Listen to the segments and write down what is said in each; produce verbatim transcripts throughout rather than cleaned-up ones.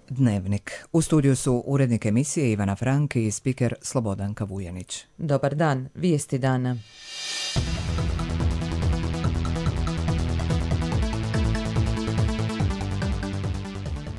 Dnevnik. U studiju su urednik emisije Ivana Frank i spiker Slobodanka Vujanić. Dobar dan, vijesti dana.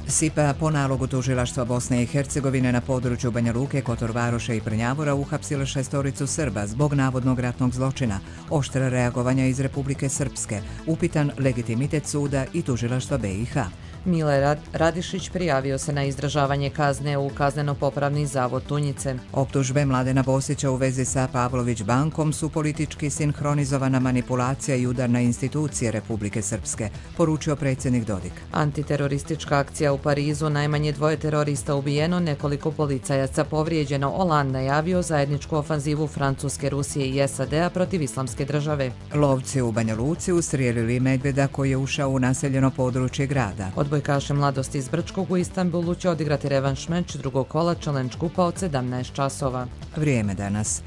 S I P A po nalogu tužilaštva Bosne i Hercegovine na području Banja Luke, Kotor Varoša i Prnjavora uhapsila šestoricu Srba zbog navodnog ratnog zločina, oštra reagovanja iz Republike Srpske, upitan legitimitet suda i tužilaštva B i H. Mile Radišić prijavio se na izdržavanje kazne u Kazneno-popravni zavod Tunjice. Optužbe Mladena Bosića u vezi sa Pavlović bankom su politički sinhronizovana manipulacija i udar na institucije Republike Srpske, poručio predsjednik Dodik. Antiteroristička akcija u Parizu, najmanje dvoje terorista ubijeno, nekoliko policajaca povrijeđeno. Hollande najavio zajedničku ofanzivu Francuske, Rusije i S A D-a protiv Islamske države. Lovci u Banja Luci ustrijelili medvjeda koji je ušao u naseljeno područje grada. Odbojkaši Mladosti iz Brčkog u Istanbulu će odigrati revanš meč drugog kola Challenge kupa od sedamnaest časova. Vrijeme danas.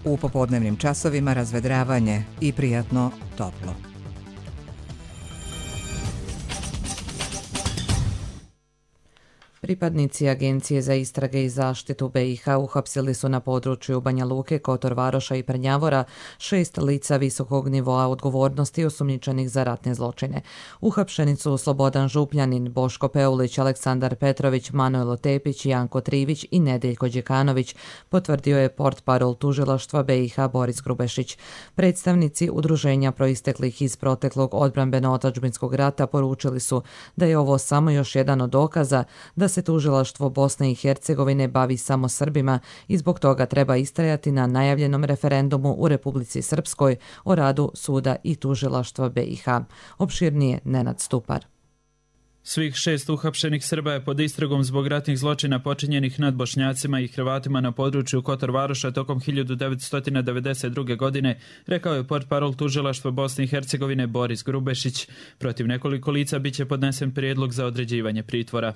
U popodnevnim časovima razvedravanje i prijatno toplo. Pripadnici Agencije za istrage i zaštitu B i H uhapsili su na području Banja Luke, Kotor Varoša i Prnjavora šest lica visokog nivoa odgovornosti osumnjičenih za ratne zločine. Uhapšeni su Slobodan Župljanin, Boško Peulić, Aleksandar Petrović, Manojlo Tepić, Janko Trivić i Nedeljko Đekanović, potvrdio je portparol tužilaštva B i H Boris Grubešić. Predstavnici udruženja proisteklih iz proteklog odbrambeno-otadžbinskog rata poručili su da je ovo samo još jedan od dokaza da se tužilaštvo Bosne i Hercegovine bavi samo Srbima i zbog toga treba istrajati na najavljenom referendumu u Republici Srpskoj o radu suda i tužilaštva B i H. Opširnije Nenad Stupar. Svih šest uhapšenih Srba je pod istragom zbog ratnih zločina počinjenih nad Bošnjacima i Hrvatima na području Kotor Varoša tokom hiljadu devetsto devedeset druge. godine, rekao je portparol tužilaštva Bosne i Hercegovine Boris Grubešić. Protiv nekoliko lica biće podnesen prijedlog za određivanje pritvora.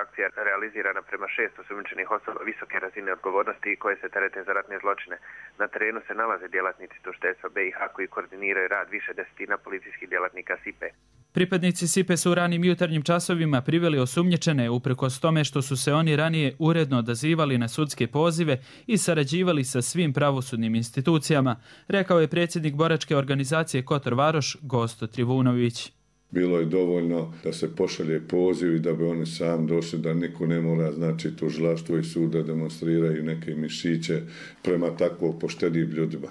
Akcija realizirana prema šest osumnjičenih osoba visoke razine odgovornosti koje se terete za ratne zločine. Na terenu se nalaze djelatnici tužiteljstva B i H koji koordiniraju rad više desetina policijskih djelatnika S I P E. Pripadnici S I P E su u ranim jutarnjim časovima priveli osumnjičene uprkos tome što su se oni ranije uredno odazivali na sudske pozive i sarađivali sa svim pravosudnim institucijama, rekao je predsjednik boračke organizacije Kotor Varoš Gosto Trivunović. Bilo je dovoljno da se pošalje poziv i da bi oni sam došli, da niko ne mora, znači tužilaštvo i suda demonstriraju neke mišiće prema tako poštenim ljudima.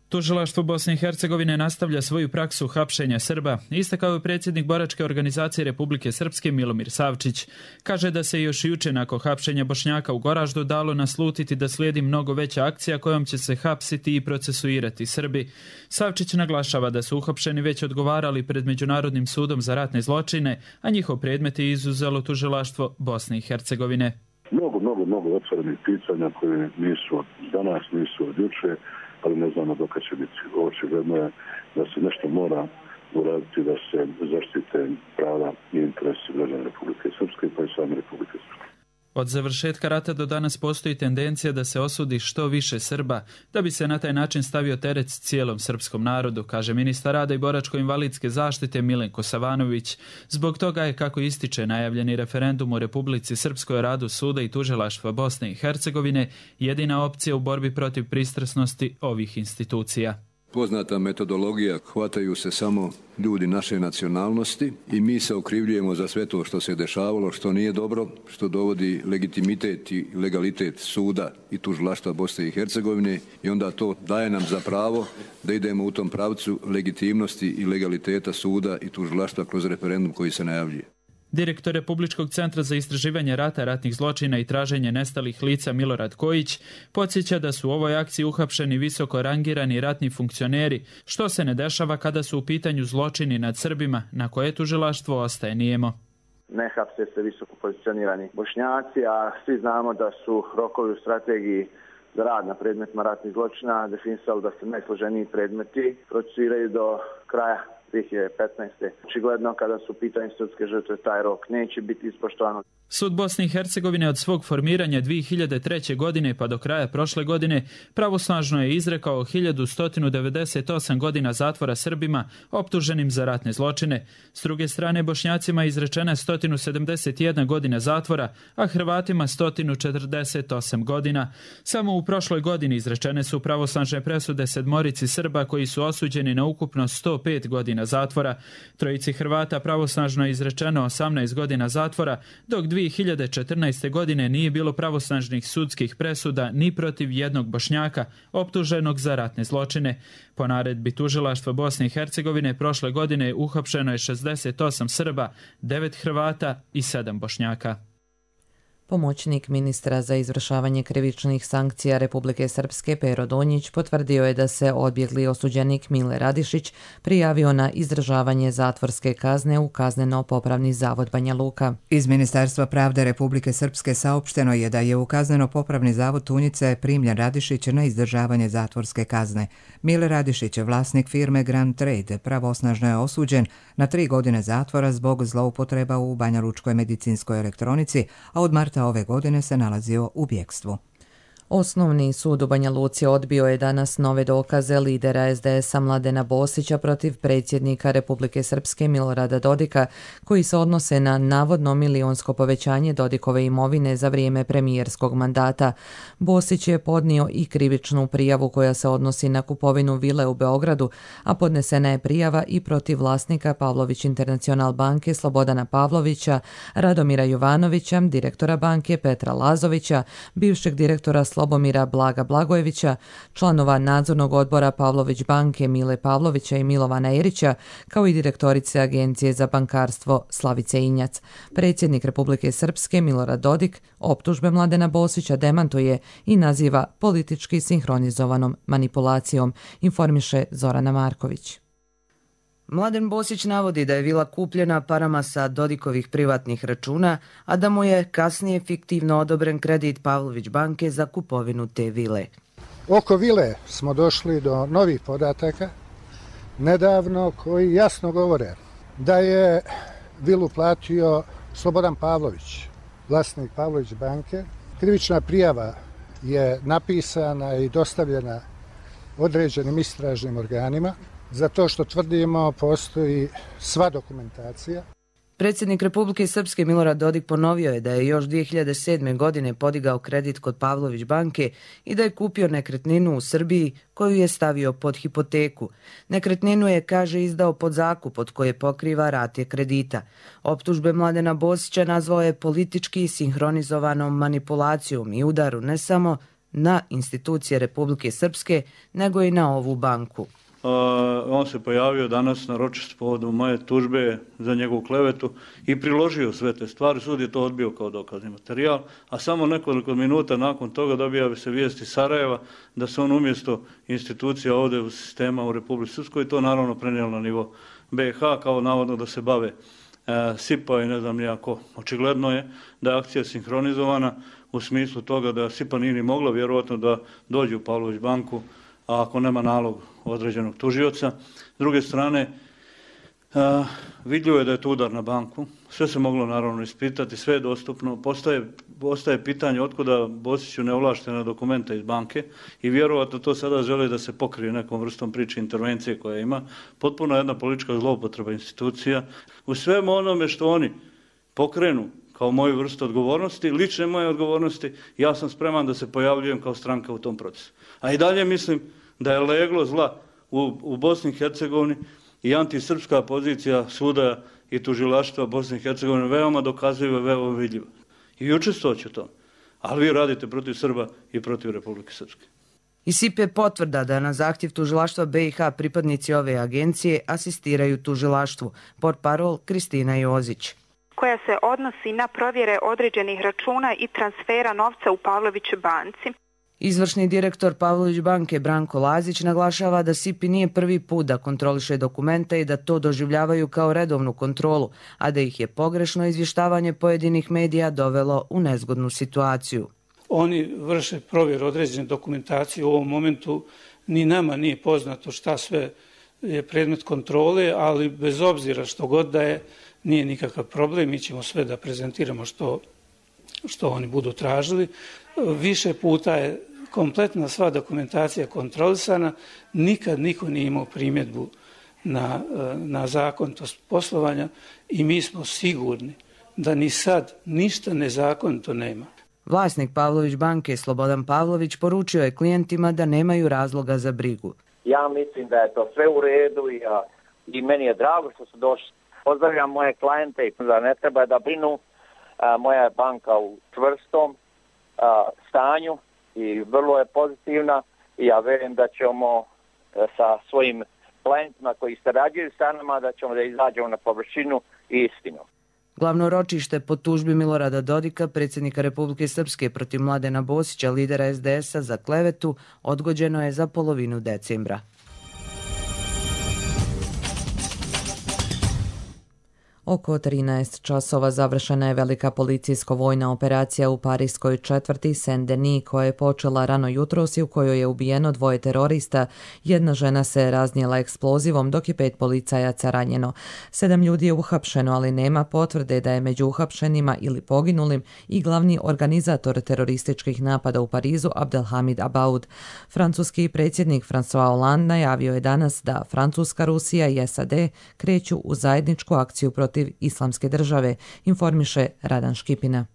Tužilaštvo Bosne i Hercegovine nastavlja svoju praksu hapšenja Srba, istakao je predsjednik boračke organizacije Republike Srpske Milomir Savčić. Kaže da se još juče nakon hapšenja Bošnjaka u Goraždu dalo naslutiti da slijedi mnogo veća akcija kojom će se hapsiti i procesuirati Srbi. Savčić naglašava da su uhapšeni već odgovarali pred Međunarodnim sudom za ratne zločine, a njihov predmet je izuzelo tužilaštvo Bosne i Hercegovine. Mnogo, mnogo, mnogo otvorenih pitanja koje nisu od danas, nisu od juče, ali ne znamo dok će biti. Očigledno je da se nešto mora uraditi da se zaštite prava i interesi građana Republike Srpske pa i same Republike Srpske. Od završetka rata do danas postoji tendencija da se osudi što više Srba, da bi se na taj način stavio teret cijelom srpskom narodu, kaže ministar rada i boračko-invalidske zaštite Milenko Savanović. Zbog toga je, kako ističe najavljeni referendum u Republici Srpskoj o radu suda i tužilaštva Bosne i Hercegovine, jedina opcija u borbi protiv pristrasnosti ovih institucija. Poznata metodologija, hvataju se samo ljudi naše nacionalnosti i mi se okrivljujemo za sve to što se dešavalo, što nije dobro, što dovodi legitimitet i legalitet suda i tužilaštva Bosne i Hercegovine i onda to daje nam za pravo da idemo u tom pravcu legitimnosti i legaliteta suda i tužilaštva kroz referendum koji se najavljuje. Direktor Republičkog centra za istraživanje rata, ratnih zločina i traženje nestalih lica Milorad Kojić podsjeća da su u ovoj akciji uhapšeni visoko rangirani ratni funkcioneri, što se ne dešava kada su u pitanju zločini nad Srbima, na koje tužilaštvo ostaje nijemo. Ne hapse se visoko pozicionirani Bošnjaci, a svi znamo da su rokovi u strategiji za rad na predmetima ratnih zločina definisali da se najsloženiji predmeti procesuiraju do kraja dvije hiljade petnaeste. Očigledno kada su pitanje sudske žrtve taj rok neće biti ispoštovan. Sud Bosne i Hercegovine od svog formiranja dvije hiljade treće. godine pa do kraja prošle godine pravosnažno je izrekao hiljadu sto devedeset osam godina zatvora Srbima optuženim za ratne zločine. S druge strane, Bošnjacima je izrečena sto sedamdeset jedna godina zatvora, a Hrvatima sto četrdeset osam godina. Samo u prošloj godini izrečene su pravosnažne presude sedmorici Srba koji su osuđeni na ukupno sto pet godina zatvora. Trojici Hrvata pravosnažno je izrečeno osamnaest godina zatvora, dok dvije hiljade četrnaeste. godine nije bilo pravosnažnih sudskih presuda ni protiv jednog Bošnjaka optuženog za ratne zločine. Po naredbi tužilaštva Bosne i Hercegovine prošle godine uhapšeno je šezdeset osam Srba, devet Hrvata i sedam Bošnjaka. Pomoćnik ministra za izvršavanje krivičnih sankcija Republike Srpske Pero Donjić potvrdio je da se odbjegli osuđenik Mile Radišić prijavio na izdržavanje zatvorske kazne u Kazneno-popravni zavod Banja Luka. Iz Ministarstva pravde Republike Srpske saopšteno je da je u Kazneno-popravni zavod Tunjice primljen Radišić na izdržavanje zatvorske kazne. Mile Radišić, vlasnik firme Grand Trade, pravosnažno je osuđen na tri godine zatvora zbog zloupotreba u banjalučkoj medicinskoj elektronici, a od marta ove godine se nalazio u bjegstvu. Osnovni sud u Banja Luci odbio je danas nove dokaze lidera es de es a Mladena Bosića protiv predsjednika Republike Srpske Milorada Dodika, koji se odnose na navodno milionsko povećanje Dodikove imovine za vrijeme premijerskog mandata. Bosić je podnio i krivičnu prijavu koja se odnosi na kupovinu vile u Beogradu, a podnesena je prijava i protiv vlasnika Pavlović International banke Slobodana Pavlovića, Radomira Jovanovića, direktora banke Petra Lazovića, bivšeg direktora Slobomira Blaga Blagojevića, članova nadzornog odbora Pavlović banke Mile Pavlovića i Milovana Erića, kao i direktorice Agencije za bankarstvo Slavice Injac. Predsjednik Republike Srpske Milorad Dodik optužbe Mladena Bosića demantuje i naziva politički sinhronizovanom manipulacijom, informiše Zorana Marković. Mladen Bosić navodi da je vila kupljena parama sa Dodikovih privatnih računa, a da mu je kasnije fiktivno odobren kredit Pavlović banke za kupovinu te vile. Oko vile smo došli do novih podataka nedavno koji jasno govore da je vilu platio Slobodan Pavlović, vlasnik Pavlović banke. Krivična prijava je napisana i dostavljena određenim istražnim organima. Za to što tvrdimo postoji sva dokumentacija. Predsjednik Republike Srpske Milorad Dodik ponovio je da je još dvije hiljade sedme. godine podigao kredit kod Pavlović banke i da je kupio nekretninu u Srbiji koju je stavio pod hipoteku. Nekretninu je, kaže, izdao pod zakup od koje pokriva rate kredita. Optužbe Mladena Bosića nazvao je politički sinhronizovanom manipulacijom i udaru ne samo na institucije Republike Srpske, nego i na ovu banku. Uh, on se pojavio danas na ročištu povodom moje tužbe za njegovu klevetu i priložio sve te stvari. Sud je to odbio kao dokazni materijal, a samo nekoliko minuta nakon toga dobija se vijesti Sarajeva da se on umjesto institucija ovdje u sistema u Republici Srpskoj to naravno prenijelo na nivo be ha kao navodno da se bave uh, Sipa i ne znam nijako. Očigledno je da je akcija sinhronizovana u smislu toga da Sipa nije ni mogla vjerojatno da dođe u Pavlović banku, a ako nema nalog određenog tužioca. S druge strane, a, vidljivo je da je to udar na banku. Sve se moglo naravno ispitati, sve je dostupno. Postaje, postaje pitanje otkuda Bosiću neovlaštene dokumente iz banke i vjerovatno to sada žele da se pokrije nekom vrstom priče intervencije koja ima. Potpuno jedna politička zloupotreba institucija. U svemu onome što oni pokrenu kao moju vrstu odgovornosti, lične moje odgovornosti, ja sam spreman da se pojavljujem kao stranka u tom procesu. A i dalje mislim da je leglo zla u, u Bosni i Hercegovini i antisrpska pozicija suda i tužilaštva Bosne i Hercegovine veoma dokaziva, veoma vidljiva. I učestvovat ću to. Ali vi radite protiv Srba i protiv Republike Srpske. Isipe potvrda da na zahtjev tužilaštva be i ha pripadnici ove agencije asistiraju tužilaštvu. Portparol Kristina Jozić. Koja se odnosi na provjere određenih računa i transfera novca u Pavlović banci. Izvršni direktor Pavlović banke Branko Lazić naglašava da Sipi nije prvi put da kontroliše dokumente i da to doživljavaju kao redovnu kontrolu, a da ih je pogrešno izvještavanje pojedinih medija dovelo u nezgodnu situaciju. Oni vrše provjeru određene dokumentacije. U ovom momentu ni nama nije poznato šta sve je predmet kontrole, ali bez obzira što god da je, nije nikakav problem. Mi ćemo sve da prezentiramo što što oni budu tražili. Više puta je kompletna sva dokumentacija kontrolisana, nikad niko nije imao primjedbu na, na zakonitost poslovanja i mi smo sigurni da ni sad ništa nezakonito nema. Vlasnik Pavlović banke Slobodan Pavlović poručio je klijentima da nemaju razloga za brigu. Ja mislim da je to sve u redu i, a, i meni je drago što su došli. Pozdravljam moje klijente i da ne treba da brinu. A, moja je banka u čvrstom a, stanju i vrlo je pozitivna i ja verujem da ćemo a, sa svojim klijentima koji sarađuju sa nama da ćemo da izađemo na površinu i istinu. Glavno ročište po tužbi Milorada Dodika, predsjednika Republike Srpske, protiv Mladena Bosića, lidera es de es a, za klevetu, odgođeno je za polovinu decembra. Oko trinaest časova završena je velika policijsko-vojna operacija u parijskoj četvrti Saint-Denis koja je počela rano jutros i u kojoj je ubijeno dvoje terorista. Jedna žena se raznijela eksplozivom dok je pet policajaca ranjeno. Sedam ljudi je uhapšeno, ali nema potvrde da je među uhapšenima ili poginulim i glavni organizator terorističkih napada u Parizu Abdelhamid Abaoud. Francuski predsjednik François Hollande najavio je danas da Francuska, Rusija i es a de kreću u zajedničku akciju protiv Islamske države, informiše Radan Škipina.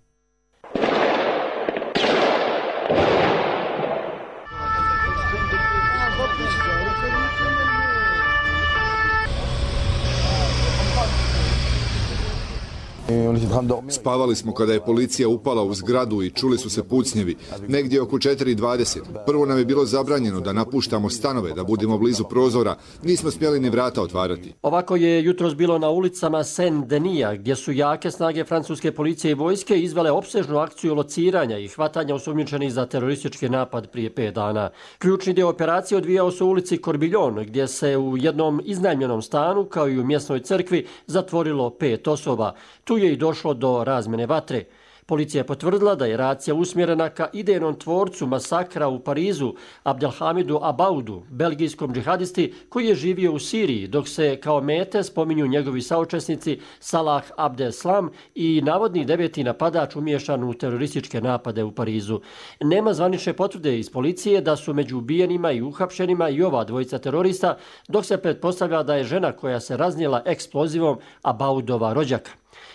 Spavali smo kada je policija upala u zgradu i čuli su se pucnjevi. Negdje oko četiri dvadeset. Prvo nam je bilo zabranjeno da napuštamo stanove, da budemo blizu prozora. Nismo smjeli ni vrata otvarati. Ovako je jutros bilo na ulicama Saint-Denisa, gdje su jake snage francuske policije i vojske izvele opsežnu akciju lociranja i hvatanja osumnjičenih za teroristički napad prije pet dana. Ključni dio operacije odvijao se u ulici Corbillon, gdje se u jednom iznajmljenom stanu, kao i u mjesnoj crkvi, zatvorilo pet osoba. Tu je i došlo do razmjene vatre. Policija je potvrdila da je racija usmjerena ka idejnom tvorcu masakra u Parizu, Abdelhamidu Abaudu, belgijskom džihadisti koji je živio u Siriji, dok se kao mete spominju njegovi saučesnici Salah Abdeslam i navodni deveti napadač umiješan u terorističke napade u Parizu. Nema zvanične potvrde iz policije da su među ubijenima i uhapšenima i ova dvojica terorista, dok se pretpostavlja da je žena koja se raznijela eksplozivom Abaudova rođaka.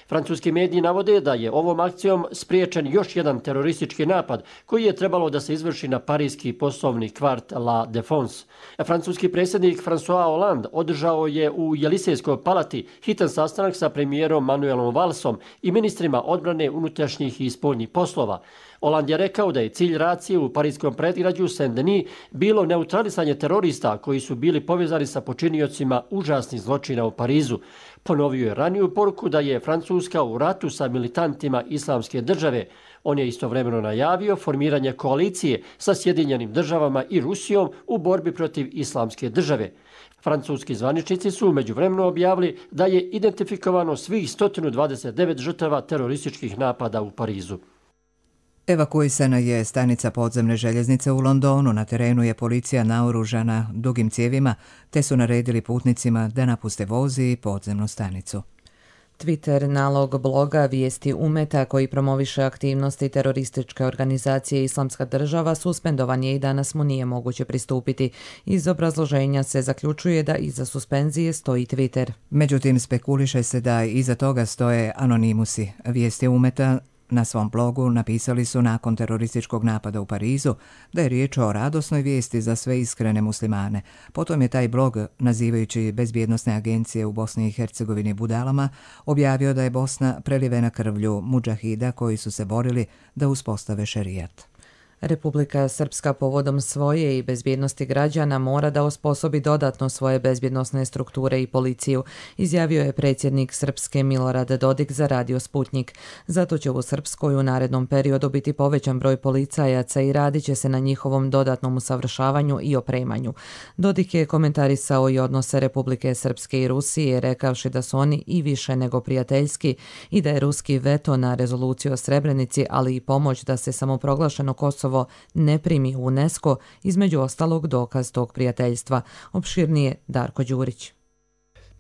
Francuski mediji navode da je ovom akcijom spriječen još jedan teroristički napad koji je trebalo da se izvrši na parijski poslovni kvart La Défense. Francuski predsjednik François Hollande održao je u Jelisejskoj palati hitan sastanak sa premijerom Manuelom Valsom i ministrima odbrane, unutrašnjih i spoljnih poslova. Hollande je rekao da je cilj racije u parijskom predgrađu Saint-Denis bilo neutralisanje terorista koji su bili povezani sa počiniocima užasnih zločina u Parizu. Ponovio je raniju poruku da je Francuska u ratu sa militantima Islamske države. On je istovremeno najavio formiranje koalicije sa Sjedinjenim državama i Rusijom u borbi protiv Islamske države. Francuski zvaničnici su međuvremeno objavili da je identifikovano svih sto dvadeset devet žrtava terorističkih napada u Parizu. Evakuisana je stanica podzemne željeznice u Londonu. Na terenu je policija naoružana dugim cijevima, te su naredili putnicima da napuste voz i podzemnu stanicu. Twitter nalog bloga Vijesti Umeta koji promoviše aktivnosti terorističke organizacije Islamska država suspendovan je i danas mu nije moguće pristupiti. Iz obrazloženja se zaključuje da iza suspenzije stoji Twitter. Međutim, spekuliše se da iza toga stoje anonimusi. Vijesti Umeta na svom blogu napisali su nakon terorističkog napada u Parizu da je riječ o radosnoj vijesti za sve iskrene muslimane. Potom je taj blog, nazivajući bezbjednosne agencije u Bosni i Hercegovini budalama, objavio da je Bosna prelivena krvlju mudžahida koji su se borili da uspostave šerijat. Republika Srpska povodom svoje i bezbjednosti građana mora da osposobi dodatno svoje bezbjednosne strukture i policiju, izjavio je predsjednik Srpske Milorad Dodik za Radio Sputnik. Zato će u Srpskoj u narednom periodu biti povećan broj policajaca i radit će se na njihovom dodatnom usavršavanju i opremanju. Dodik je komentarisao i odnose Republike Srpske i Rusije, rekavši da su oni i više nego prijateljski i da je ruski veto na rezoluciju o Srebrenici, ali i pomoć da se samoproglašeno Kosovo ne primi u UNESCO, između ostalog dokaz tog prijateljstva. Opširnije Darko Đurić.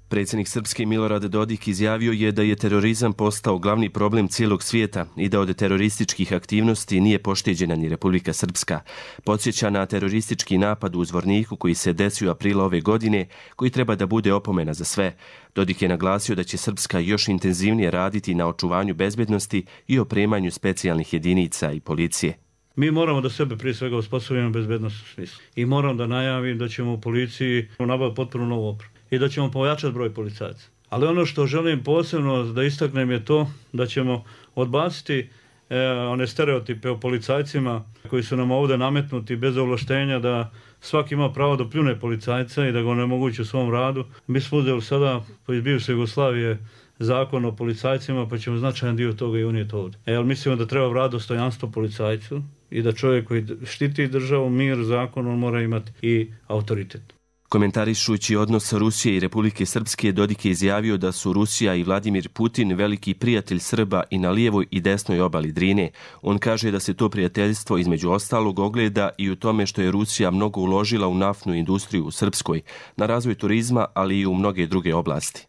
Predsjednik Srpske Milorad Dodik izjavio je da je terorizam postao glavni problem cijelog svijeta i da od terorističkih aktivnosti nije pošteđena ni Republika Srpska. Podsjeća na teroristički napad u Zvorniku koji se desio aprila ove godine, koji treba da bude opomena za sve. Dodik je naglasio da će Srpska još intenzivnije raditi na očuvanju bezbednosti i opremanju specijalnih jedinica i policije. Mi moramo da sebe prije svega osposobimo bezbednostnom smislu. I moram da najavim da ćemo u policiji nabaviti potpuno novu opremu i da ćemo pojačati broj policajaca. Ali ono što želim posebno da istaknem je to da ćemo odbaciti e, one stereotipe o policajcima koji su nam ovdje nametnuti bez ovlaštenja da svaki ima pravo da pljune policajca i da ga onemogući u svom radu. Mi smo uzeli sada iz bivše Jugoslavije zakon o policajcima, pa ćemo značajan dio toga i unijeti ovdje. E, ali mislimo da treba vratiti dostojanstvo policajcu i da čovjek koji štiti državu, mir, zakon, on mora imati i autoritet. Komentarišući odnos Rusije i Republike Srpske, Dodik je izjavio da su Rusija i Vladimir Putin veliki prijatelj Srba i na lijevoj i desnoj obali Drine. On kaže da se to prijateljstvo između ostalog ogleda i u tome što je Rusija mnogo uložila u naftnu industriju u Srpskoj, na razvoj turizma, ali i u mnoge druge oblasti.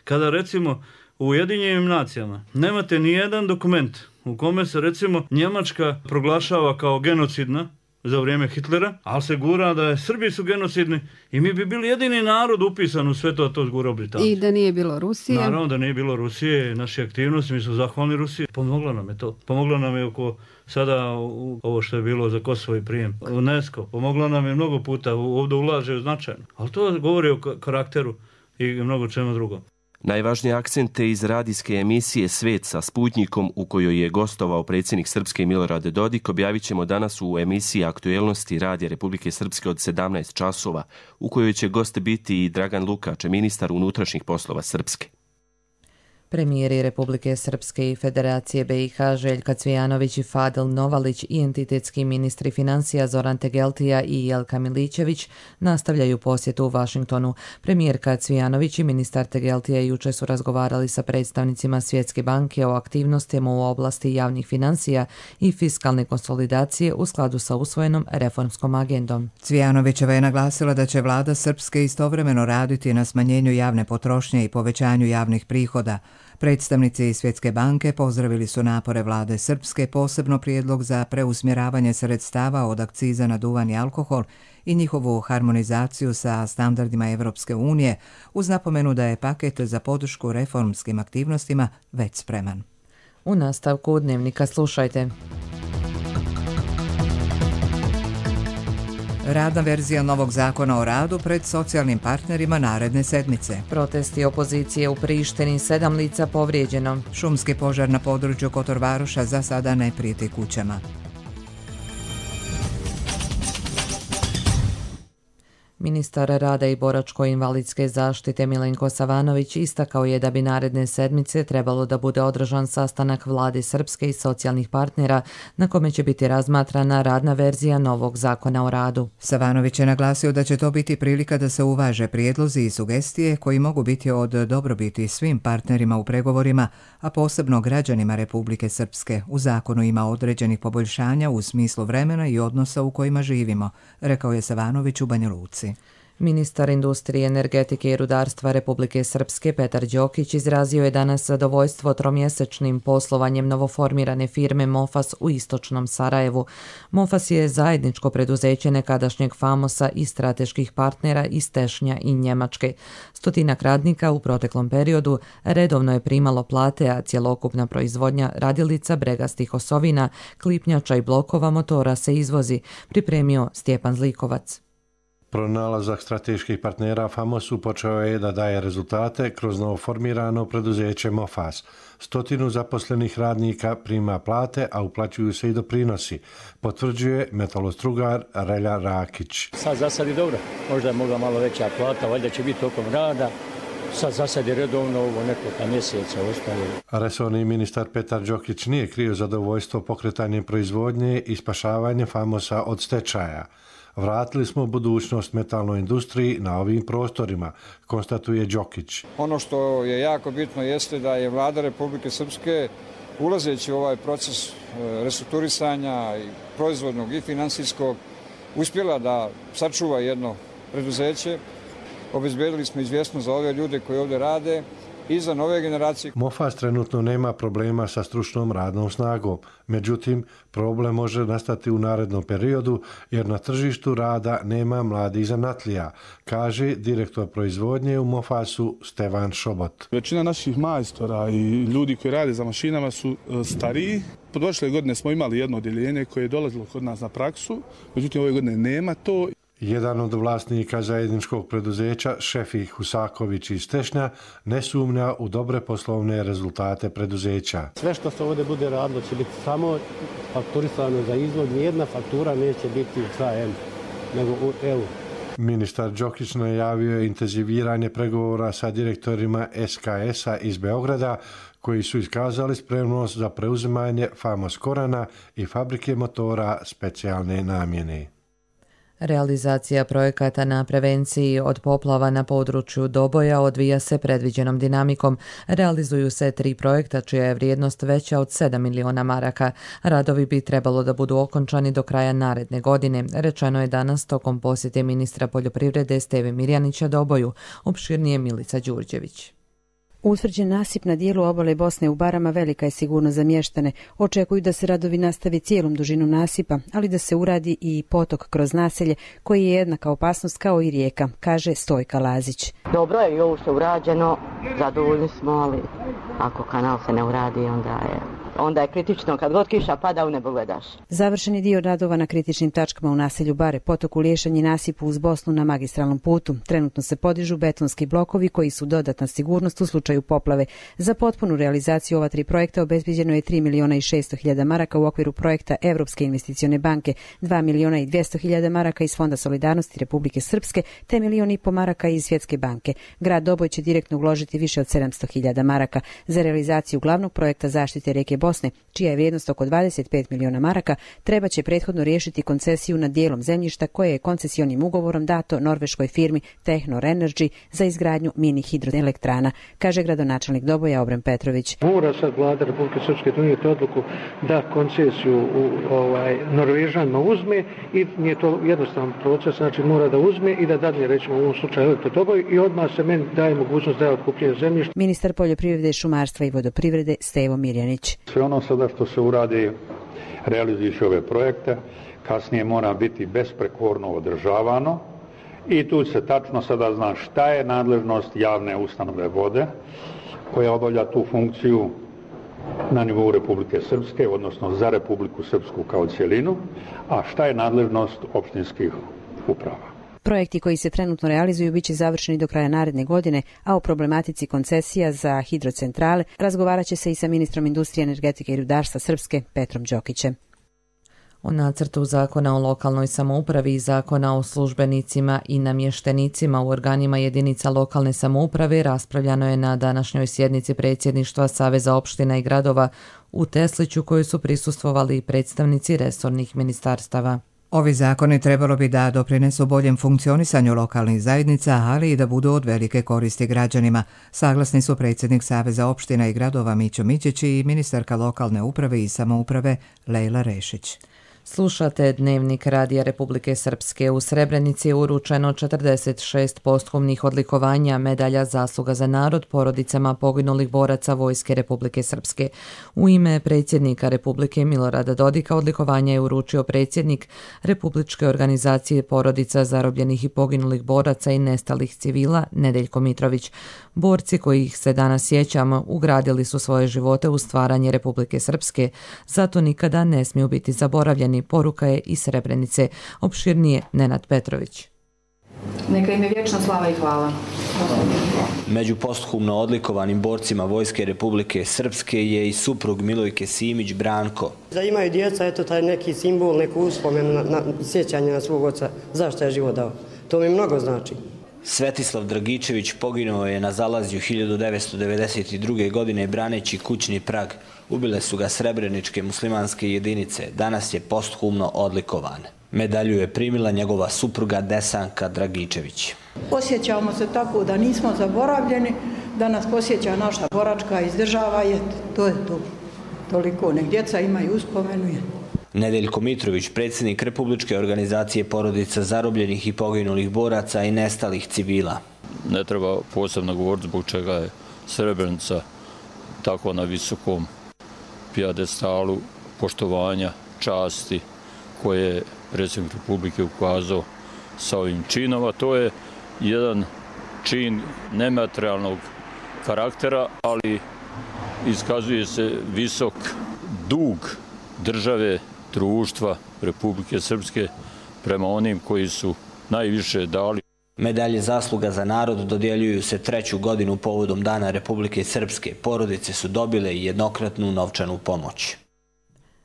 Kada recimo u Ujedinjenim nacijama nemate ni jedan dokument u kome se recimo Njemačka proglašava kao genocidna za vrijeme Hitlera, ali se gura da je Srbi su genocidni i mi bi bili jedini narod upisan u sve to, a to zgura Britanci. I da nije bilo Rusije. Naravno da nije bilo Rusije, naše aktivnosti, mi smo zahvalni Rusiji. Pomogla nam je to. Pomogla nam je oko sada u, ovo što je bilo za Kosovo i prijem. UNESCO, pomogla nam je mnogo puta, ovdje ulaže značajno. Ali to govori o karakteru i mnogo čemu drugom. Najvažnije akcente iz radijske emisije Svet sa Sputnjikom, u kojoj je gostovao predsjednik Srpske Milorad Dodik, objavit ćemo danas u emisiji Aktuelnosti Radija Republike Srpske od sedamnaest časova, u kojoj će gost biti i Dragan Lukač, ministar unutrašnjih poslova Srpske. Premijeri Republike Srpske i Federacije B i H Željka Cvijanović i Fadil Novalić i entitetski ministri financija Zoran Tegeltija i Jelka Milićević nastavljaju posjetu u Vašingtonu. Premijerka Cvijanović i ministar Tegeltija juče su razgovarali sa predstavnicima Svjetske banke o aktivnostima u oblasti javnih financija i fiskalne konsolidacije u skladu sa usvojenom reformskom agendom. Cvijanovićeva je naglasila da će vlada Srpske istovremeno raditi na smanjenju javne potrošnje i povećanju javnih prihoda. Predstavnici Svjetske banke pozdravili su napore vlade Srpske, posebno prijedlog za preusmjeravanje sredstava od akciza na duvan i alkohol i njihovu harmonizaciju sa standardima Evropske unije, uz napomenu da je paket za podršku reformskim aktivnostima već spreman. U nastavku Dnevnika slušajte. Radna verzija novog zakona o radu pred socijalnim partnerima naredne sedmice. Protesti opozicije u Prištini, sedam lica povrijeđeno. Šumski požar na području Kotorvaroša za sada ne prijeti kućama. Ministar rada i boračko-invalidske zaštite Milenko Savanović istakao je da bi naredne sedmice trebalo da bude održan sastanak vlade Srpske i socijalnih partnera na kome će biti razmatrana radna verzija novog zakona o radu. Savanović je naglasio da će to biti prilika da se uvaže prijedlozi i sugestije koji mogu biti od dobrobiti svim partnerima u pregovorima, a posebno građanima Republike Srpske. U zakonu ima određenih poboljšanja u smislu vremena i odnosa u kojima živimo, rekao je Savanović u Banja Luci. Ministar industrije, energetike i rudarstva Republike Srpske Petar Đokić izrazio je danas zadovoljstvo tromjesečnim poslovanjem novoformirane firme Mofas u istočnom Sarajevu. Mofas je zajedničko preduzeće nekadašnjeg Famosa i strateških partnera iz Tešnja i Njemačke. Stotinak radnika u proteklom periodu redovno je primalo plate, a cjelokupna proizvodnja radilica, bregastih osovina, klipnjača i blokova motora se izvozi, pripremio Stjepan Zlikovac. Pronalazak strateških partnera Famosu počeo je da daje rezultate kroz novoformirano preduzeće Mofas. Stotinu zaposlenih radnika prima plate, a uplaćuju se i doprinosi, potvrđuje metalostrugar Relja Rakić. Sad za sad je dobro, možda je mogla malo veća plata, valjda će biti tokom rada. Sad za sad je redovno ovo nekoliko mjeseca ostaje. Resorni ministar Petar Đokić nije krio zadovoljstvo pokretanjem proizvodnje i spašavanjem Famosa od stečaja. Vratili smo budućnost metalnoj industriji na ovim prostorima, konstatuje Đokić. Ono što je jako bitno jeste da je vlada Republike Srpske, ulazeći u ovaj proces restrukturisanja i proizvodnog i finansijskog, uspjela da sačuva jedno preduzeće obezbedili smo izvjesnost za ove ljude koji ovdje rade i za nove generacije. Mofas trenutno nema problema sa stručnom radnom snagom, međutim problem može nastati u narednom periodu jer na tržištu rada nema mladih zanatlija, kaže direktor proizvodnje u Mofasu Stevan Šobot. Većina naših majstora i ljudi koji rade za mašinama su stariji. Prošle godine smo imali jedno odjeljenje koje je dolazilo kod nas na praksu, međutim ove godine nema to. Jedan od vlasnika zajedničkog preduzeća, Šefi Husaković iz Tešnja, ne sumnja u dobre poslovne rezultate preduzeća. Sve što se ovdje bude radilo će biti samo fakturisano za izvoz. Nijedna faktura neće biti u ca em, nego u euro. Ministar Đokić najavio je intenziviranje pregovora sa direktorima es ka es-a iz Beograda, koji su iskazali spremnost za preuzimanje Famos Korana i fabrike motora specijalne namjene. Realizacija projekata na prevenciji od poplava na području Doboja odvija se predviđenom dinamikom. Realizuju se tri projekta čija je vrijednost veća od sedam miliona maraka. Radovi bi trebalo da budu okončani do kraja naredne godine, rečeno je danas tokom posjete ministra poljoprivrede Steve Mirjanića Doboju. Opširnije Milica Đurđević. Utvrđen nasip na dijelu obale Bosne u Barama velika je sigurnost za mještane. Očekuju da se radovi nastavi cijelom dužinom nasipa, ali da se uradi i potok kroz naselje koji je jednaka opasnost kao i rijeka, kaže Stojka Lazić. Dobro je i ovo što je urađeno, zadovoljni smo, ali ako kanal se ne uradi, onda je... onda je kritično kad god kiša pada u nebo gledaš. Završeni dio radova na kritičnim tačkama u naselju Bare, potoku Liješan i nasipu uz Bosnu na magistralnom putu. Trenutno se podižu betonski blokovi koji su dodatna sigurnost u slučaju poplave. Za potpunu realizaciju ova tri projekta obezbiđeno je tri miliona i šesto hiljada maraka u okviru projekta Evropske investicione banke, dva miliona i dvjesto hiljada maraka iz Fonda solidarnosti Republike Srpske te milion i po maraka iz Svjetske banke. Grad Doboj će direktno uložiti više od sedamsto hiljada maraka. Za realizaciju glavnog projekta zaštite rijeke Bosne, čija je vrijednost oko dvadeset pet miliona maraka, treba će prethodno riješiti koncesiju nad dijelom zemljišta koje je koncesionim ugovorom dato norveškoj firmi Tehnor Energy za izgradnju mini hidroelektrana, kaže gradonačelnik Doboja Obren Petrović. Mora sad vlada Republike Srpske donijeti odluku da koncesiju u ovaj, Norvežanima uzme i nije to jednostavan proces, znači mora da uzme i da dalje, recimo u ovom slučaju Elektro Doboj, i odmah se meni daje mogućnost da je otkupljeno zemljište. Ministar poljoprivrede, šumarstva i vodoprivrede Stevo Mirjanić. Sve ono sada što se uradi, realizujući ove projekte, kasnije mora biti besprekorno održavano i tu se tačno sada zna šta je nadležnost javne ustanove vode koja obavlja tu funkciju na nivou Republike Srpske, odnosno za Republiku Srpsku kao cjelinu, a šta je nadležnost opštinskih uprava. Projekti koji se trenutno realizuju biće završeni do kraja naredne godine, a o problematici koncesija za hidrocentrale razgovarat će se i sa ministrom industrije, energetike i rudarstva Srpske Petrom Đokićem. O nacrtu zakona o lokalnoj samoupravi i zakona o službenicima i namještenicima u organima jedinica lokalne samouprave raspravljano je na današnjoj sjednici predsjedništva Saveza opština i gradova u Tesliću, koji su prisustvovali i predstavnici resornih ministarstava. Ovi zakoni trebalo bi da doprinesu boljem funkcionisanju lokalnih zajednica, ali i da budu od velike koristi građanima. Saglasni su predsjednik Saveza opština i gradova Mićo Mićić i ministarka lokalne uprave i samouprave Lejla Rešić. Slušate Dnevnik Radija Republike Srpske. U Srebrenici je uručeno četrdeset šest posthumnih odlikovanja medalja zasluga za narod porodicama poginulih boraca Vojske Republike Srpske. U ime predsjednika Republike Milorada Dodika odlikovanja je uručio predsjednik Republičke organizacije porodica zarobljenih i poginulih boraca i nestalih civila Nedeljko Mitrović. Borci kojih se danas sjećamo ugradili su svoje živote u stvaranje Republike Srpske, zato nikada ne smiju biti zaboravljeni, poruka je iz Srebrenice. Opširnije Nenad Petrović. Neka im je vječna slava i hvala. Među posthumno odlikovanim borcima Vojske Republike Srpske je i suprug Milojke Simić Branko. Da imaju djeca, eto taj neki simbol, neku uspomen na, na sjećanje na svog oca, zašto je život dao. To mi mnogo znači. Svetislav Dragičević poginuo je na Zalazju hiljadu devetsto devedeset druge. godine braneći kućni prag. Ubile su ga srebreničke muslimanske jedinice. Danas je posthumno odlikovan. Medalju je primila njegova supruga Desanka Dragičević. Osjećamo se tako da nismo zaboravljeni, da nas posjeća naša boračka iz država, je, to je to. Toliko, nek djeca imaju uspomenu. Je. Nedeljko Mitrović, predsjednik Republičke organizacije porodica zarobljenih i poginulih boraca i nestalih civila. ne treba posebno govoriti zbog čega je Srebrenica tako na visokom pijedestalu poštovanja, časti koje je predsjednik Republike ukazao sa ovim činom, a to je jedan čin nematerijalnog karaktera, ali iskazuje se visok dug države, društva Republike Srpske prema onim koji su najviše dali. Medalje zasluga za narod dodjeljuju se treću godinu povodom Dana Republike Srpske. Porodice su dobile i jednokratnu novčanu pomoć.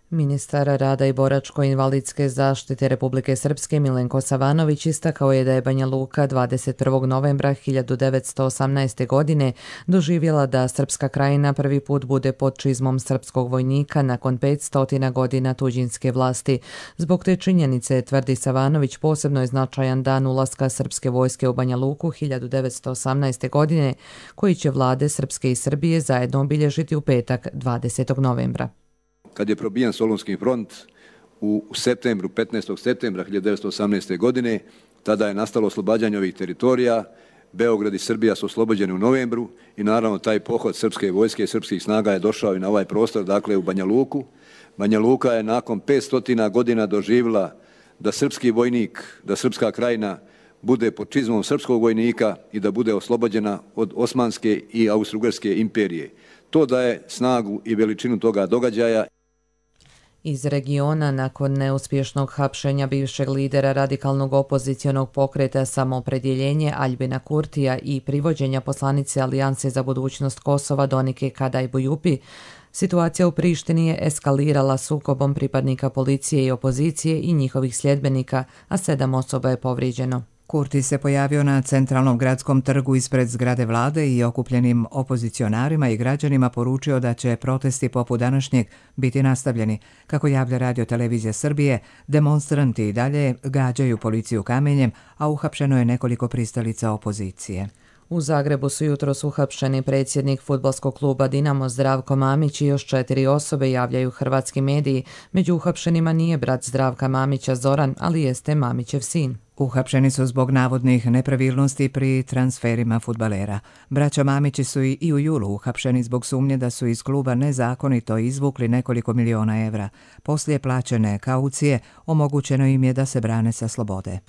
Ministar rada i boračko-invalidske zaštite Republike Srpske Milenko Savanović istakao je da je Banja Luka dvadeset prvog novembra hiljadu devetsto osamnaeste. godine doživjela da Srpska krajina prvi put bude pod čizmom srpskog vojnika nakon petsto godina tuđinske vlasti. Zbog te činjenice, tvrdi Savanović, posebno je značajan dan ulaska srpske vojske u Banja Luku hiljadu devetsto osamnaeste. godine, koji će vlade Srpske i Srbije zajedno obilježiti u petak dvadesetog novembra. Kad je probijan Solunski front u septembru, petnaestog septembra hiljadu devetsto osamnaeste. godine, tada je nastalo oslobađanje ovih teritorija, Beograd i Srbija su oslobođeni u novembru i naravno taj pohod srpske vojske i srpskih snaga je došao i na ovaj prostor, dakle u Banja Luku. Banja Luka je nakon petsto godina doživjela da srpski vojnik, da Srpska krajina bude pod čizmom srpskog vojnika i da bude oslobođena od Osmanske i Austro-Ugarske imperije. To daje snagu i veličinu toga događaja. Iz regiona, nakon neuspješnog hapšenja bivšeg lidera radikalnog opozicionog pokreta Samoopredjeljenje Aljbina Kurtija i privođenja poslanice Alijanse za budućnost Kosova Donike Kadaj-Bujupi, situacija u Prištini je eskalirala sukobom pripadnika policije i opozicije i njihovih sljedbenika, a sedam osoba je povrijeđeno. Kurti se pojavio na centralnom gradskom trgu ispred zgrade vlade i okupljenim opozicionarima i građanima poručio da će protesti poput današnjeg biti nastavljeni. Kako javlja Radio Televizija Srbije, demonstranti i dalje gađaju policiju kamenjem, a uhapšeno je nekoliko pristalica opozicije. U Zagrebu su jutros uhapšeni predsjednik fudbalskog kluba Dinamo Zdravko Mamić i još četiri osobe, javljaju hrvatski mediji. Među uhapšenima nije brat Zdravka Mamića Zoran, ali jeste Mamićev sin. Uhapšeni su zbog navodnih nepravilnosti pri transferima fudbalera. Braća Mamići su i u julu uhapšeni zbog sumnje da su iz kluba nezakonito izvukli nekoliko miliona evra. Poslije plaćene kaucije omogućeno im je da se brane sa slobode.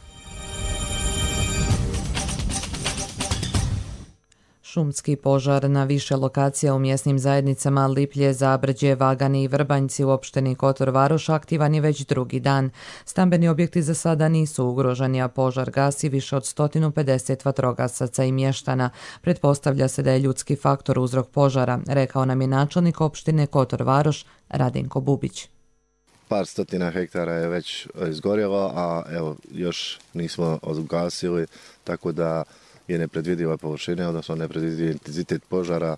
Šumski požar na više lokacija u mjesnim zajednicama Liplje, Zabrđe, Vagani i Vrbanjci u opštini Kotor Varoš aktivan je već drugi dan. Stambeni objekti za sada nisu ugroženi, a požar gasi više od sto pedeset vatrogasaca i mještana. Pretpostavlja se da je ljudski faktor uzrok požara, rekao nam je načelnik opštine Kotor Varoš Radinko Bubić. Par stotina hektara je već izgorjelo, a evo još nismo ugasili, tako da je nepredvidiva površina, odnosno nepredvidiv intenzitet požara.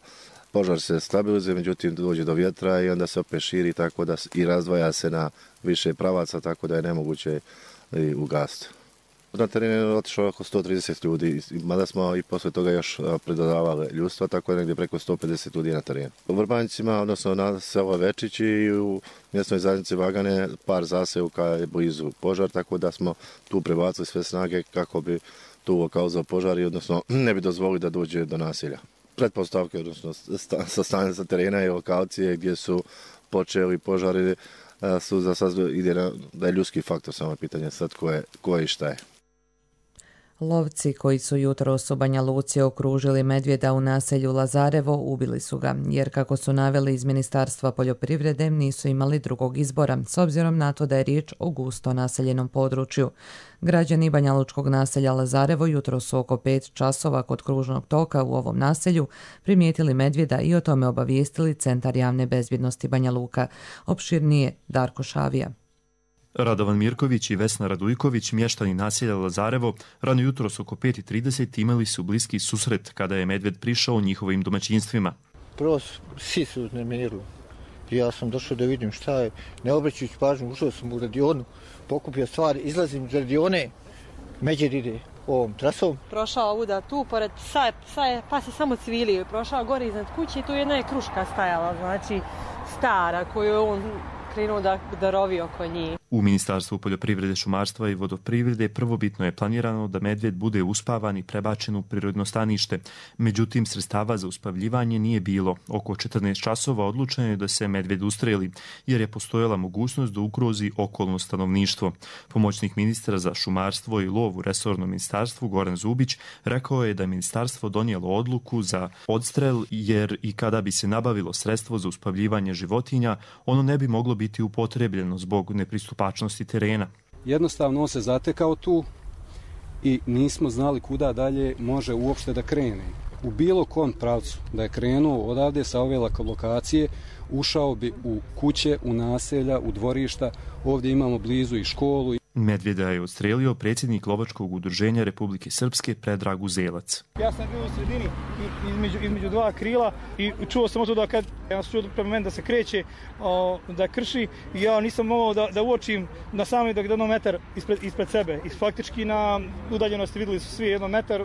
Požar se stabilizuje, međutim dođe do vjetra i onda se opet širi tako da i razdvaja se na više pravaca, tako da je nemoguće i ugasiti. Na terenu je otišlo oko sto trideset ljudi, mada smo i posle toga još predodavali ljudstva, tako je negdje preko sto pedeset ljudi na terenu. U Vrbanjcima, odnosno na selo Večići i u mjesnoj zajednici Vagane, par zaseoka je blizu požar, tako da smo tu prebacili sve snage kako bi tu okauzao požar i odnosno ne bi dozvolili da dođe do nasilja. Pretpostavke, odnosno sa stanja sa terena i lokacije gdje su počeli požari su za sad ide na, da je ljudski faktor, samo pitanje sad ko je, ko je i šta je. Lovci koji su jutros u Banja Luci okružili medvjeda u naselju Lazarevo ubili su ga, jer kako su naveli iz Ministarstva poljoprivrede nisu imali drugog izbora, s obzirom na to da je riječ o gusto naseljenom području. Građani banjalučkog naselja Lazarevo jutros su oko pet časova kod kružnog toka u ovom naselju primijetili medvjeda i o tome obavijestili Centar javne bezbjednosti Banja Luka. Opširnije Darko Šavija. Radovan Mirković i Vesna Radujković, mještani naselja Lazarevo, rano jutros oko pet i trideset imali su bliski susret kada je medved prišao njihovim domaćinstvima. Prvo svi su uznemirili. Ja sam došao da vidim šta je, ne obraćajući pažnju, ušao sam u radionu, pokupio stvari, izlazim iz radione, međer ide ovom trasom. Prošao ovuda tu, pored psa, psa je, pas je samo cvilio, prošao gore iznad kuće i tu jedna je kruška stajala, znači stara koju je on krenuo da, da rovi oko njih. U Ministarstvu poljoprivrede, šumarstva i vodoprivrede prvobitno je planirano da medvjed bude uspavan i prebačen u prirodno stanište. Međutim, sredstava za uspavljivanje nije bilo. Oko četrnaest časova odlučeno je da se medvjed ustreli, jer je postojala mogućnost da ugrozi okolno stanovništvo. Pomoćnik ministra za šumarstvo i lov u resornom ministarstvu Goran Zubić rekao je da je ministarstvo donijelo odluku za odstrel, jer i kada bi se nabavilo sredstvo za uspavljivanje životinja, ono ne bi moglo biti upotrebljeno zbog nepristupačnosti terena. Jednostavno on se zatekao tu i nismo znali kuda dalje može uopšte da krene. U bilo kom pravcu da je krenuo odavde sa ove lokacije, ušao bi u kuće, u naselja, u dvorišta. Ovdje imamo blizu i školu. Medvjeda je odstrelio predsjednik Lovačkog udruženja Republike Srpske Predrag Uzelac. Ja sam bio u sredini između, između dva krila i čuo sam to da kad ja sam čuo prema meni da se kreće, o, da krši i ja nisam mogao da, da uočim na sami da jedno metar ispred, ispred sebe. I faktički na udaljenosti vidjeli su svi jedno metar,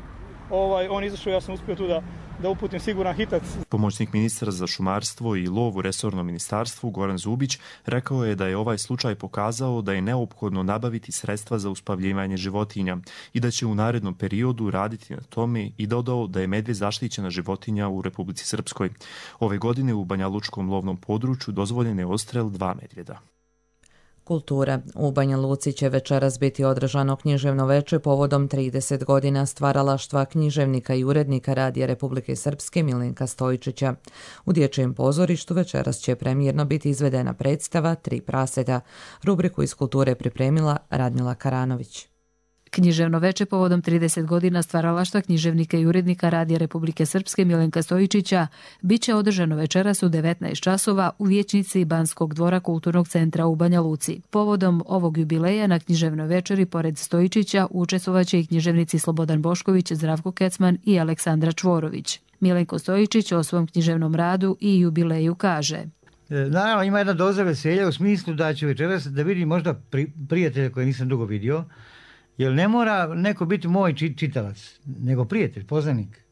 ovaj, on izašao, ja sam uspio tu da da uputim siguran hitac. Pomoćnik ministra za šumarstvo i lov u resornom ministarstvu Goran Zubić rekao je da je ovaj slučaj pokazao da je neophodno nabaviti sredstva za uspavljivanje životinja i da će u narednom periodu raditi na tome i dodao da je medvjed zaštićena životinja u Republici Srpskoj. Ove godine u Banjalučkom lovnom području dozvoljen je odstrel dva medvjeda. Kultura. U Banja Luci će večeras biti održano književno veče povodom trideset godina stvaralaštva književnika i urednika Radija Republike Srpske Milenka Stojičića. U dječjem pozorištu večeras će premijerno biti izvedena predstava Tri praseta. Rubriku iz kulture pripremila Radmila Karanović. Književno veče povodom trideset godina stvaralaštva književnika i urednika Radija Republike Srpske Milenka Stojičića biće održano večeras u devetnaest časova u vijećnici Banskog dvora Kulturnog centra u Banja Luci. Povodom ovog jubileja na književnoj večeri pored Stojičića učestvovaće i književnici Slobodan Bošković, Zdravko Kecman i Aleksandra Čvorović. Milenko Stojičić o svom književnom radu i jubileju kaže: Naravno, ima jedna doza veselja u smislu da ću večeras da vidim možda pri, prijatelja koje nisam dugo vidio. Jer ne mora neko biti moj čitalac, nego prijatelj, poznanik.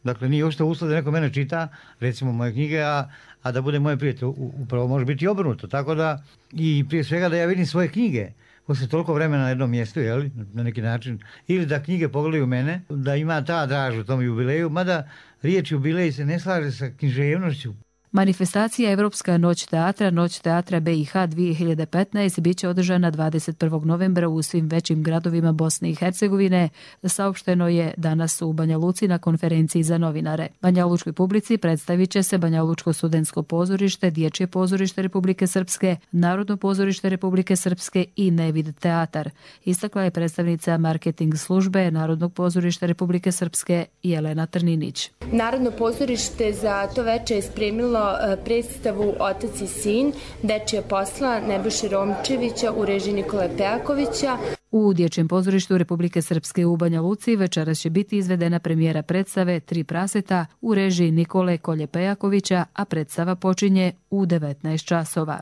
Dakle, nije uopšte uslov da neko mene čita, recimo moje knjige, a, a da bude moj prijatelj. Upravo može biti obrnuto. Tako da, i prije svega da ja vidim svoje knjige, posle toliko vremena na jednom mjestu, jeli, na neki način, ili da knjige pogledaju mene, da ima ta draž u tom jubileju, mada riječ jubilej se ne slaže sa književnošću. Manifestacija Evropska noć teatra, noć teatra B i H dvije hiljade petnaest biće održana dvadeset prvog novembra u svim većim gradovima Bosne i Hercegovine, saopšteno je danas u Banja Luci na konferenciji za novinare. Banja Lučkoj publici predstavit će se Banja Lučko studentsko pozorište, Dječje pozorište Republike Srpske, Narodno pozorište Republike Srpske i Nevid teatar. Istakla je predstavnica marketing službe Narodnog pozorišta Republike Srpske Jelena Trninić. Narodno pozorište za to veče je spremilo predstavu Otac i sin, Dečija posla Nebojše Romčevića u režiji Nikole Pejakovića. U Dječjem pozorištu Republike Srpske u Banja Luci večeras će biti izvedena premijera predstave Tri praseta u režiji Nikole Kolje Pejakovića, a predstava počinje u devetnaest časova.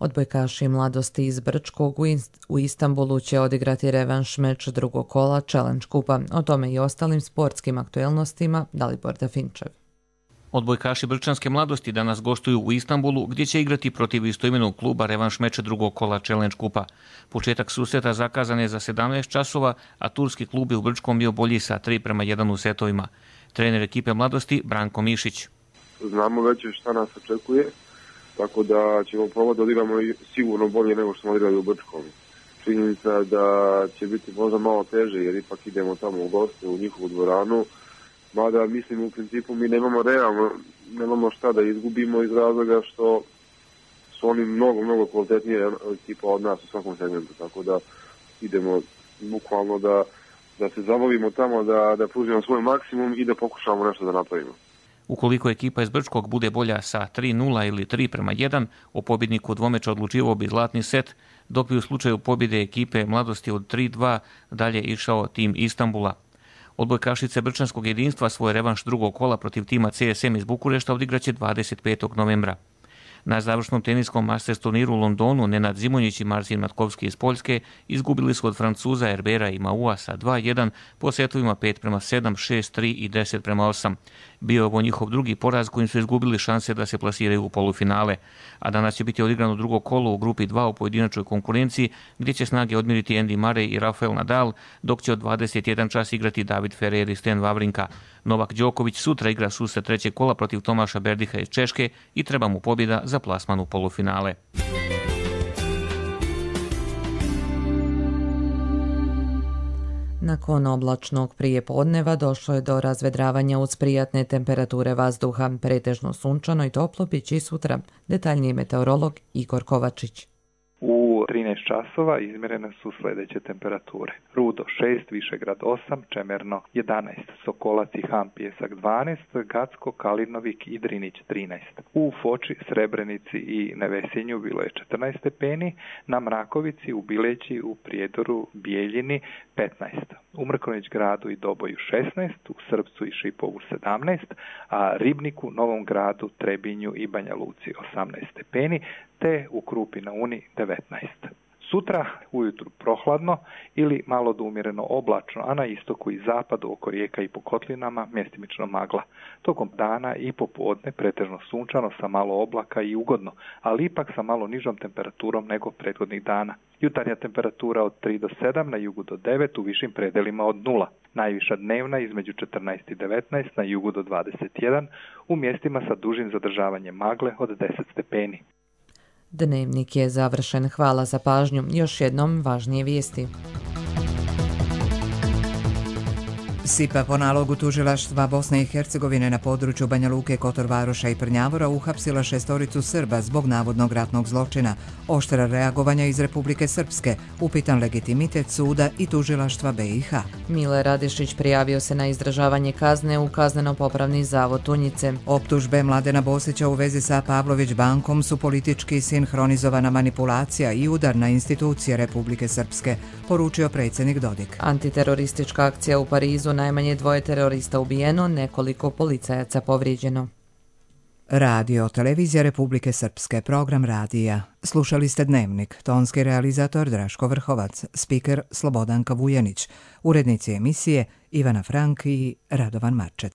Odbojkaši Mladosti iz Brčkog u Istanbulu će odigrati revanš meč drugog kola Challenge kupa. O tome i ostalim sportskim aktuelnostima Dalibor Dafinčev. Odbojkaši Brčanske Mladosti danas gostuju u Istanbulu, gdje će igrati protiv istoimenog kluba revanš meč drugog kola Challenge kupa. Početak susreta zakazan je za sedamnaest časova, a turski klub je u Brčkom bio bolji sa tri prema jedan u setovima. Trener ekipe Mladosti Branko Mišić. Znamo već šta nas očekuje, tako da ćemo probati da odigramo sigurno bolje nego što smo odigrali u Brčkom. Činjenica da će biti možda malo teže, jer ipak idemo tamo u goste, u njihovu dvoranu. Mada, mislim, u principu mi nemamo realno, nemamo šta da izgubimo iz razloga što su oni mnogo, mnogo kvalitetnije ekipa od nas u svakom segmentu. Tako da idemo bukvalno da, da se zabavimo tamo, da, da pružimo svoj maksimum i da pokušamo nešto da napravimo. Ukoliko ekipa iz Brčkog bude bolja sa tri nula ili tri prema jedan, o pobjedniku dvomeča odlučivao bi zlatni set, dok bi u slučaju pobjede ekipe Mladosti od tri dva dalje išao tim Istanbula. Odbojkašice Brčanskog jedinstva svoj revanš drugog kola protiv tima C S M iz Bukurešta odigraće dvadeset petog novembra. Na završnom teniskom Masters turniru u Londonu Nenad Zimonjić i Marcin Matkovski iz Poljske izgubili su od Francuza Herbera i Maua sa dva jedan po setovima pet prema sedam, šest tri i deset prema osam. Bio je ovo njihov drugi poraz kojim su izgubili šanse da se plasiraju u polufinale. A danas će biti odigrano drugo kolo u grupi dva u pojedinačnoj konkurenciji gdje će snage odmiriti Andy Murray i Rafael Nadal, dok će od dvadeset jedan čas igrati David Ferrer i Stan Wawrinka. Novak Đoković sutra igra susret trećeg kola protiv Tomaša Berdiha iz Češke i treba mu pobjeda za plasman u polufinale. Nakon oblačnog prijepodneva došlo je do razvedravanja uz prijatne temperature vazduha, pretežno sunčano i toplo biće i sutra. Detaljniji meteorolog Igor Kovačić. U trinaest časova izmjerene su sljedeće temperature. Rudo šest, Višegrad osam, Čemerno jedanaest, Sokolac i Ham Pjesak dvanaest, Gacko, Kalinovik i Drinić trinaest. U Foči, Srebrenici i Nevesinju bilo je četrnaest stepeni, na Mrakovici, u Bileći, u Prijedoru, Bijeljini petnaest. U Mrkonjić gradu i Doboju šesnaest, u Srpcu i Šipovu sedamnaest, a Ribniku, Novom gradu, Trebinju i Banja Luci osamnaest stepeni, te u Krupi na Uni devetnaest. Sutra ujutru prohladno ili malo do umjereno oblačno, a na istoku i zapadu oko rijeka i po kotlinama mjestimično magla. Tokom dana i popodne pretežno sunčano sa malo oblaka i ugodno, ali ipak sa malo nižom temperaturom nego prethodnih dana. Jutarnja temperatura od tri do sedam, na jugu do devet, u višim predelima od nula. Najviša dnevna između četrnaest i devetnaest, na jugu do dvadeset jedan, u mjestima sa dužim zadržavanjem magle od deset stepeni. Dnevnik je završen. Hvala za pažnju. Još jednom važnije vijesti. S I P A po nalogu tužilaštva Bosne i Hercegovine na području Banja Luke, Kotor Varoša i Prnjavora uhapsila šestoricu Srba zbog navodnog ratnog zločina. Oštra reagovanja iz Republike Srpske, upitan legitimitet suda i tužilaštva B i H. Mile Radišić prijavio se na izdržavanje kazne u Kazneno-popravni zavod Tunjice. Optužbe Mladena Bosića u vezi sa Pavlović bankom su politički sinhronizovana manipulacija i udar na institucije Republike Srpske, poručio predsjednik Dodik. Antiteroristička akcija u Parizu, najmanje dvoje terorista ubijeno, nekoliko policajaca povrijeđeno. Radio, televizija Republike Srpske, program radija. Slušali ste Dnevnik, tonski realizator Draško Vrhovac, spiker Slobodanka Vujanić, urednici emisije Ivana Frank i Radovan Marčet.